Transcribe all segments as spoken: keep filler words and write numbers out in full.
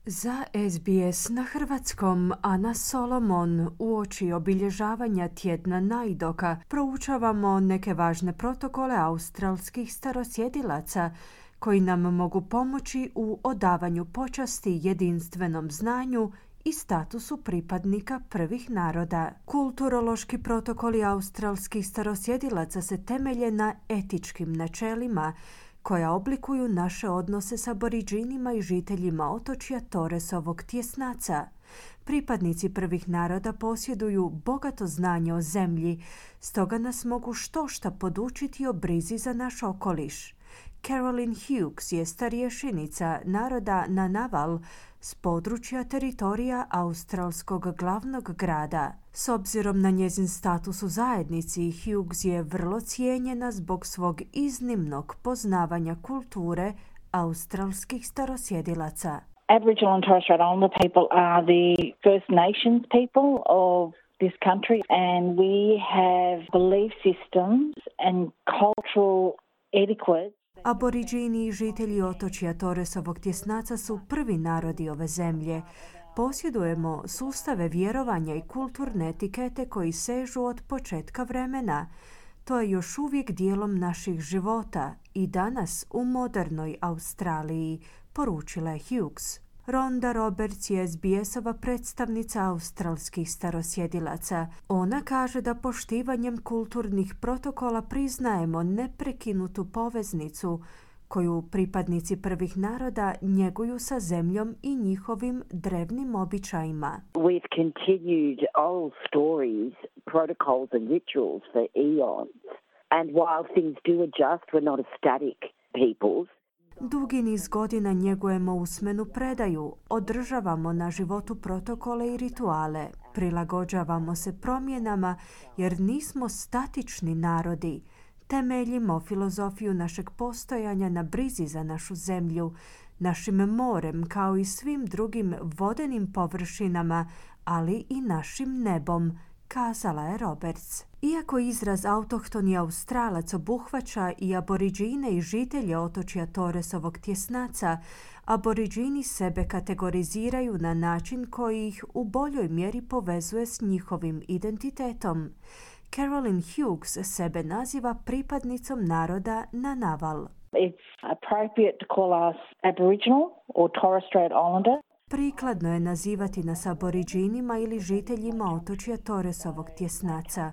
Za S B S na hrvatskom Ana Solomon uoči obilježavanja tjedna najdoka proučavamo neke važne protokole australskih starosjedilaca koji nam mogu pomoći u odavanju počasti jedinstvenom znanju i statusu pripadnika prvih naroda. Kulturološki protokoli australskih starosjedilaca se temelje na etičkim načelima koja oblikuju naše odnose s Aboridžinima i žiteljima otočja Torresovog tjesnaca. Pripadnici prvih naroda posjeduju bogato znanje o zemlji, stoga nas mogu štošta podučiti o brizi za naš okoliš. Carolyn Hughes je starješenica naroda Ngunnawal s područja teritorija australskog glavnog grada. S obzirom na njezin status u zajednici, Hughes je vrlo cijenjena zbog svog iznimnog poznavanja kulture australskih starosjedilaca. Aboriginal and Torres Strait Islander people are the First Nations people of this country, and we have belief systems and cultural etiquette. Aboridžini i žitelji otočja Torresovog tjesnaca su prvi narodi ove zemlje. Posjedujemo sustave vjerovanja i kulturne etikete koji sežu od početka vremena. To je još uvijek dijelom naših života i danas u modernoj Australiji, poručila je Hughes. Rhonda Roberts je S B S-ova predstavnica australskih starosjedilaca. Ona kaže da poštivanjem kulturnih protokola priznajemo neprekinutu poveznicu koju pripadnici prvih naroda njeguju sa zemljom i njihovim drevnim običajima. We've continued old stories, protocols and rituals for eons. And while things do adjust, we're not a static peoples. Dugi niz godina njegujemo usmenu predaju, održavamo na životu protokole i rituale, prilagođavamo se promjenama jer nismo statični narodi. Temeljimo filozofiju našeg postojanja na brizi za našu zemlju, našim morem kao i svim drugim vodenim površinama, ali i našim nebom, kazala je Roberts. Iako izraz autohtoni Australac obuhvaća i Aboridžine i žitelje otočja Torresovog tjesnaca, Aboridžini sebe kategoriziraju na način koji ih u boljoj mjeri povezuje s njihovim identitetom. Carolyn Hughes sebe naziva pripadnicom naroda Ngunnawal. It's appropriate to call us Aboriginal or Torres Strait Islander. Prikladno je nazivati nas Aboridžinima ili žiteljima otočja Torresovog tjesnaca,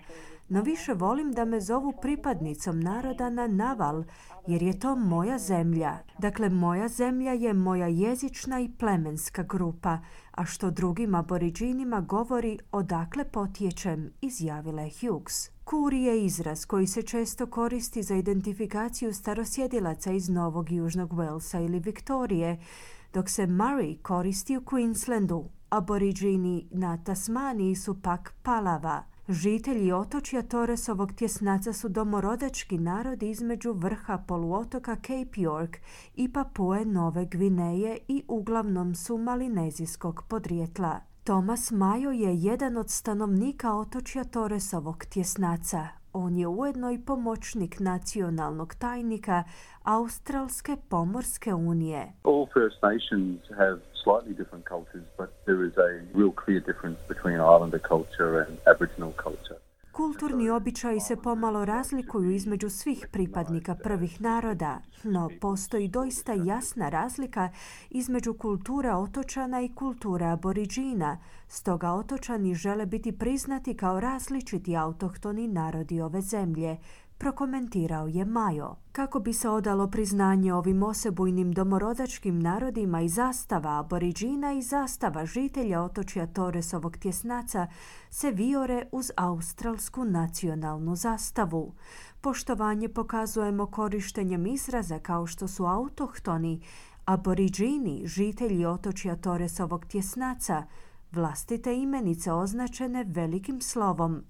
no više volim da me zovu pripadnicom naroda Ngunnawal, jer je to moja zemlja. Dakle, moja zemlja je moja jezična i plemenska grupa, a što drugim Aboridžinima govori odakle potječem, izjavila je Hughes. Kuri je izraz koji se često koristi za identifikaciju starosjedilaca iz Novog Južnog Walesa ili Viktorije, dok se Murray koristi u Queenslandu. Aboridžini na Tasmaniji su pak Palava. Žitelji otočja Torresovog tjesnaca su domorodački narod između vrha poluotoka Cape York i Papue Nove Gvineje i uglavnom su malinezijskog podrijetla. Thomas Mayo je jedan od stanovnika otočja Torresovog tjesnaca. On je ujedno i pomoćnik nacionalnog tajnika Australske pomorske unije. All First Nations have slightly different cultures, but there is a real clear difference between Islander culture and Aboriginal culture. Kulturni običaji se pomalo razlikuju između svih pripadnika prvih naroda, no postoji doista jasna razlika između kulture otočana i kulture Aboridžina, stoga otočani žele biti priznati kao različiti autohtoni narodi ove zemlje, prokomentirao je Mayo. Kako bi se odalo priznanje ovim osebujnim domorodačkim narodima i zastava Aboridžina i zastava žitelja otočja Torresovog tjesnaca se vijore uz australsku nacionalnu zastavu. Poštovanje pokazujemo korištenjem izraza kao što su autohtoni, Aboridžini, žitelji otočja Torresovog tjesnaca, vlastite imenice označene velikim slovom.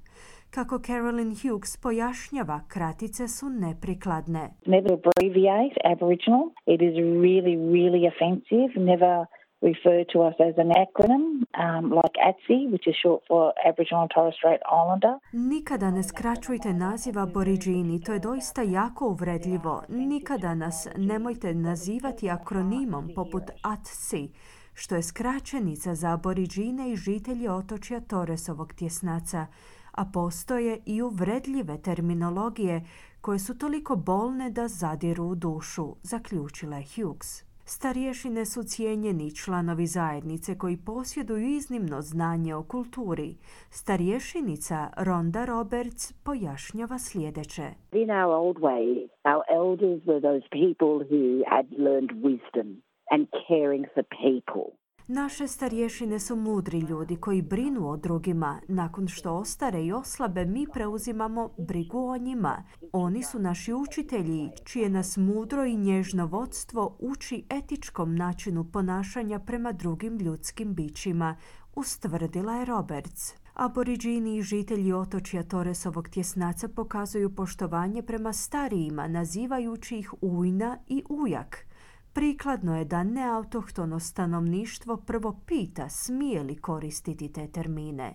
Kako Carolyn Hughes pojašnjava, kratice su neprikladne. Never abbreviate Aboriginal. It is really, really offensive. Never refer to us as an acronym um, like A T S I, which is short for Aboriginal and Torres Strait Islander. Nikada ne skraćujte naziv Aboridžini, to je doista jako uvredljivo. Nikada nas nemojte nazivati akronimom poput A T S I, što je skraćenica za aboriđine i žitelje otočja Torresovog tjesnaca, a postoje i uvredljive terminologije koje su toliko bolne da zadiru u dušu, zaključila je Hughes. Starješine su cijenjeni članovi zajednice koji posjeduju iznimno znanje o kulturi. Starješenica Rhonda Roberts pojašnjava sljedeće. In our old ways, our elders were those people who had learned wisdom and caring for people. Naše starješine su mudri ljudi koji brinu o drugima. Nakon što ostare i oslabe, mi preuzimamo brigu o njima. Oni su naši učitelji, čije nas mudro i nježno vodstvo uči etičkom načinu ponašanja prema drugim ljudskim bićima, ustvrdila je Roberts. Aboriđini i žitelji otočja Torresovog tjesnaca pokazuju poštovanje prema starijima, nazivajući ih ujna i ujak. Prikladno je da neautohtono stanovništvo prvo pita smije li koristiti te termine.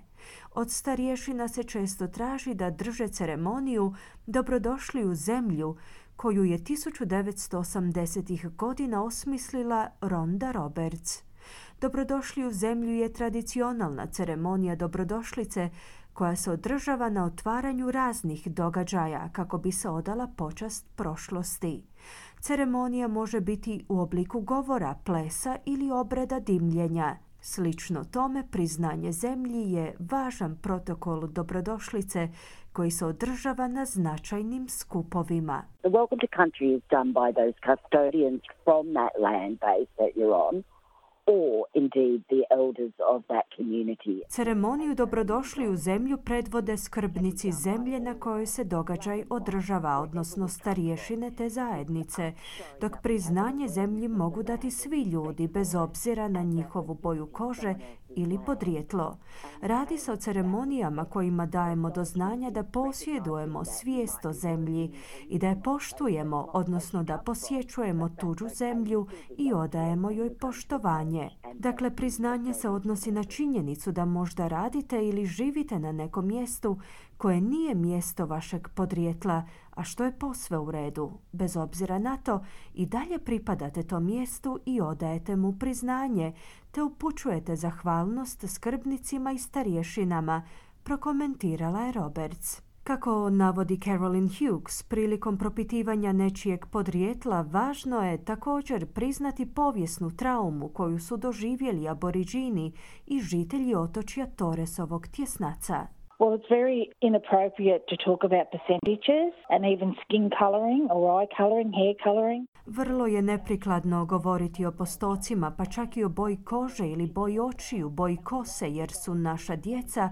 Od starješina se često traži da drže ceremoniju Dobrodošli u zemlju, koju je tisuću devetsto osamdesetih godina osmislila Rhonda Roberts. Dobrodošli u zemlju je tradicionalna ceremonija dobrodošlice koja se održava na otvaranju raznih događaja kako bi se odala počast prošlosti. Ceremonija može biti u obliku govora, plesa ili obreda dimljenja. Slično tome, priznanje zemlji je važan protokol dobrodošlice koji se održava na značajnim skupovima. The welcome to country is done by those custodians from that land base that you're on, or indeed the elders of that community. Ceremoniju Dobrodošli u zemlju predvode skrbnici zemlje na kojoj se događaj održava, odnosno starješine te zajednice, dok priznanje zemlji mogu dati svi ljudi bez obzira na njihovu boju kože ili podrijetlo. Radi se o ceremonijama kojima dajemo do znanja da posjedujemo svijest o zemlji i da je poštujemo, odnosno da posjećujemo tuđu zemlju i odajemo joj poštovanje. Dakle, priznanje se odnosi na činjenicu da možda radite ili živite na nekom mjestu koje nije mjesto vašeg podrijetla, a što je posve u redu. Bez obzira na to, i dalje pripadate tom mjestu i odajete mu priznanje, te upućujete zahvalnost skrbnicima i starješinama, prokomentirala je Roberts. Kako navodi Carolyn Hughes, prilikom propitivanja nečijeg podrijetla važno je također priznati povijesnu traumu koju su doživjeli aboriđini i žitelji otočja Torresovog tjesnaca. Well, it's very inappropriate to talk about percentages and even skin colouring or eye colouring, hair colouring. Vrlo je neprikladno govoriti o postocima, pa čak i o boji kože ili boji očiju, boji kose, jer su naša djeca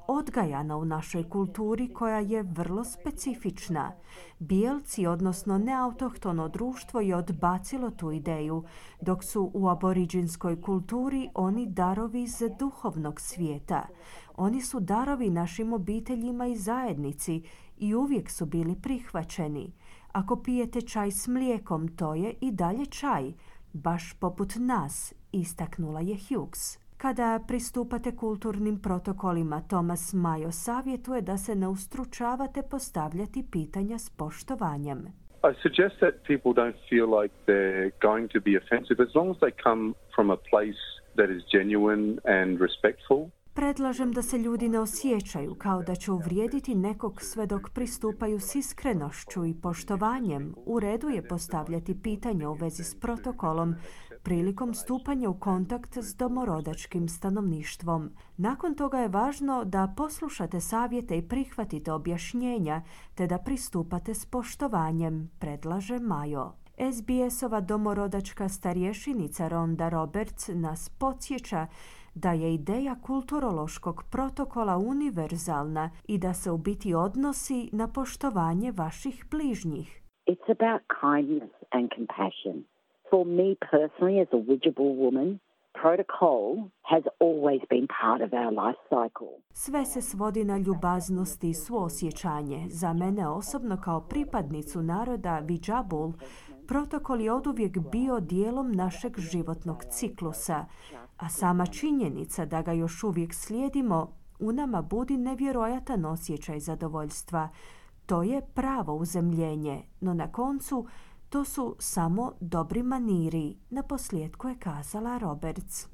odgajana u našoj kulturi koja je vrlo specifična. Bijelci, odnosno neautohtono društvo, je odbacilo tu ideju, dok su u aboriđinskoj kulturi oni darovi iz duhovnog svijeta. Oni su darovi našim obiteljima i zajednici i uvijek su bili prihvaćeni. Ako pijete čaj s mlijekom, to je i dalje čaj, baš poput nas, istaknula je Hughes. Kada pristupate kulturnim protokolima, Thomas Mayo savjetuje da se ne ustručavate postavljati pitanja s poštovanjem. I suggest that people don't feel like they're going to be offensive as long as they come from a place that is genuine and respectful. Predlažem da se ljudi ne osjećaju kao da će uvrijediti nekog sve dok pristupaju s iskrenošću i poštovanjem. U redu je postavljati pitanje u vezi s protokolom prilikom stupanja u kontakt s domorodačkim stanovništvom. Nakon toga je važno da poslušate savjete i prihvatite objašnjenja, te da pristupate s poštovanjem, predlaže Mayo. S B S-ova domorodačka starješenica Rhonda Roberts nas podsjeća da je ideja kulturološkog protokola univerzalna i da se u biti odnosi na poštovanje vaših bližnjih. It's about kindness and compassion. For me personally, as a Widjabul woman, protocol has always been part of our life cycle. Sve se svodi na ljubaznost i suosjećanje. Za mene osobno kao pripadnicu naroda Widjabul, protokol je oduvijek bio dijelom našeg životnog ciklusa, a sama činjenica da ga još uvijek slijedimo u nama budi nevjerojatan osjećaj zadovoljstva. To je pravo uzemljenje, no na koncu to su samo dobri maniri, naposljetku je kazala Roberts.